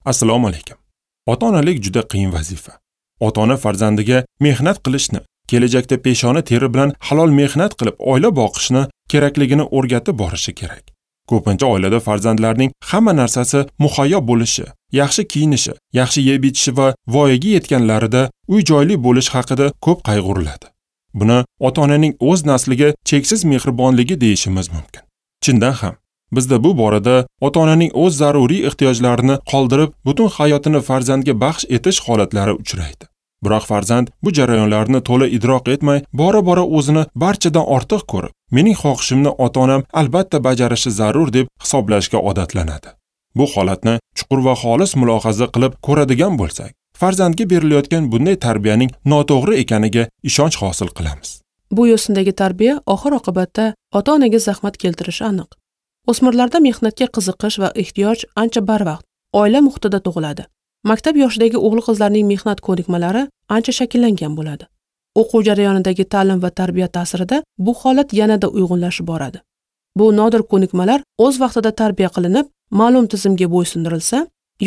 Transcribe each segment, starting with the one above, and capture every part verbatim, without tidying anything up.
Assalomu alaykum. Ota-onalik juda qiyin vazifa. Ota-ona farzandiga mehnat qilishni, kelajakda peshona teri bilan halol mehnat qilib oila boqishni kerakligini o'rgatib borishi kerak. Ko'pincha oilada farzandlarning hamma narsasi muhayyo bo'lishi, yaxshi kiyinishi, yaxshi yeb ichishi va voyaga yetganlarida uy-joyli bo'lish haqida ko'p qayg'uriladi. Buni ota-onaning o'z nasliga cheksiz mehribonligi deyishimiz mumkin. Chindan ham, bizda bu borada ota-onaning o'z zaruriy ehtiyojlarini qoldirib, butun hayotini farzandga baxsh etish holatlari uchraydi. Biroq farzand bu jarayonlarni to'la idrok etmay, bora-bora o'zini barchadan ortiq ko'rib, mening xohishimni ota-onam albatta bajarishi zarur deb hisoblashga odatlanadi. Bu holatni chuqur va xolis mulohaza qilib ko'radigan bo'lsak, farzandga berilayotgan bunday tarbiyaning noto'g'ri ekaniga ishonch hosil qilamiz. Bu yo'sindagi tarbiya oxir-oqibatda ota-onaga zahmat keltirishi aniq. O'smirlarda mehnatga qiziqish va ehtiyoj ancha barvaqt, oila muhitida tug'iladi. Maktab yoshidagi o'g'il-qizlarning mehnat ko'nikmalari ancha shakllangan bo'ladi. O'quv jarayonidagi ta'lim va tarbiya ta'sirida bu holat yanada uyg'unlashib boradi. Bu nodir ko'nikmalar o'z vaqtida tarbiya qilinib, ma'lum tizimga bo'ysundirilsa,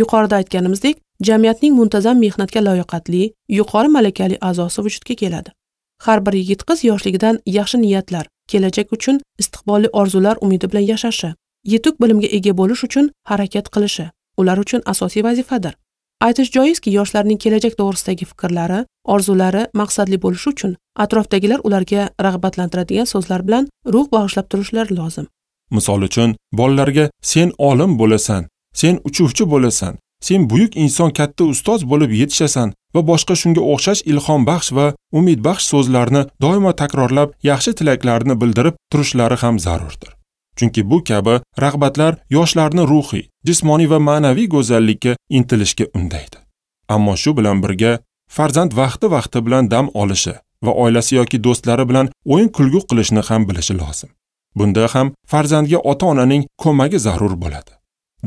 yuqorida aytganimizdek, jamiyatning muntazam mehnatga layoqatli, yuqori malakali a'zosi vujudga keladi. Har bir yigit-qiz yoshligidan yaxshi niyatlar, kelajak uchun istiqbolli orzular umidi bilan yashashi, yetuk bilimga ega bo'lish uchun harakat qilishi ular uchun asosiy vazifadir. Aytish joizki, yoshlarning kelajak to'g'risidagi fikrlari, orzulari maqsadli bo'lishi uchun atrofdagilar ularga rag'batlantiradigan so'zlar bilan ruh bag'ishlab turishlari lozim. Misol uchun, bolalarga sen olim bo'lasan, sen uchuvchi bo'lasan, sen buyuk inson, katta ustoz bo'lib yetishasan va boshqa shunga o'xshash ilhombaxsh va umidbaxsh so'zlarni doimo takrorlab, yaxshi tilaklarni bildirib turishlari ham zarurdir. Chunki bu kabi rag'batlar yoshlarni ruhiy, jismoniy va ma'naviy go'zallikka intilishga undaydi. Ammo shu bilan birga farzand vaqti-vaqti bilan dam olishi va oilasi yoki do'stlari bilan o'yin-kulgu qilishni ham bilishi lozim. Bunda ham farzandga ota-onaning ko'magi zarur bo'ladi.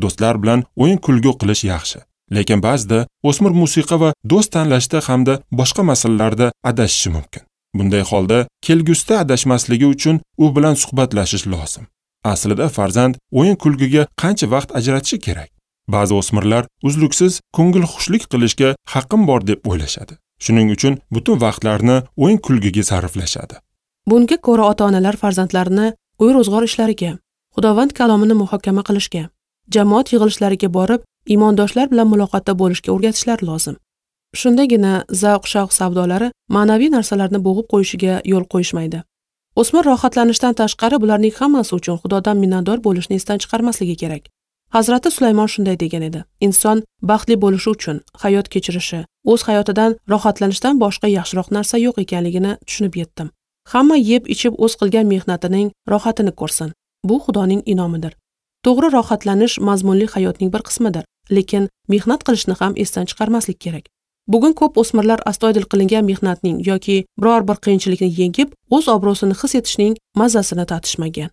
Do'stlar bilan o'yin-kulgu qilish yaxshi, lekin ba'zida o'smir musiqa va do'st tanlashda hamda boshqa masalalarda adashishi mumkin. Bunday holda kelgusida adashmasligi uchun u bilan suhbatlashish lozim. Aslida farzand o'yin-kulguga qancha vaqt ajratishi kerak? Ba'zi o'smirlar uzluksiz ko'ngilxushlik qilishga haqqim bor deb o'ylashadi. Shuning uchun butun vaqtlarini o'yin-kulguga sarflashadi. Bunga ko'ra ota-onalar farzandlarini uy-ro'zg'or ishlariga, Xudovand kalomini muhokama qilishga, jamoat yig'ilishlariga borib, iymondoshlar bilan muloqotda bo'lishga o'rgatishlari lozim. Shundagina zavq-shavq savdolari ma'naviy narsalarni bo'g'ib qo'yishiga yo'l qo'yishmaydi. O'smir rohatlanishdan tashqari bularning hammasi uchun Xudodan minnatdor bo'lishni esdan chiqarmasligi kerak. Hazrati Sulaymon shunday degan edi: inson baxtli bo'lishi uchun hayot kechirishi, o'z hayotidan rohatlanishdan boshqa yaxshiroq narsa yo'q ekanligini tushunib yetdim. Hamma yeb ichib o'z qilgan mehnatining rohatini ko'rsin. Bu Xudoning inomidir. To'g'ri rohatlanish mazmunli hayotning bir qismidir, lekin mehnat qilishni ham esdan chiqarmaslik kerak. Bugun ko'p o'smirlar astoydil qilingan mehnatning yoki biror bir qiyinchilikni yengib, o'z obro'sini his etishning mazasini tatishmagan.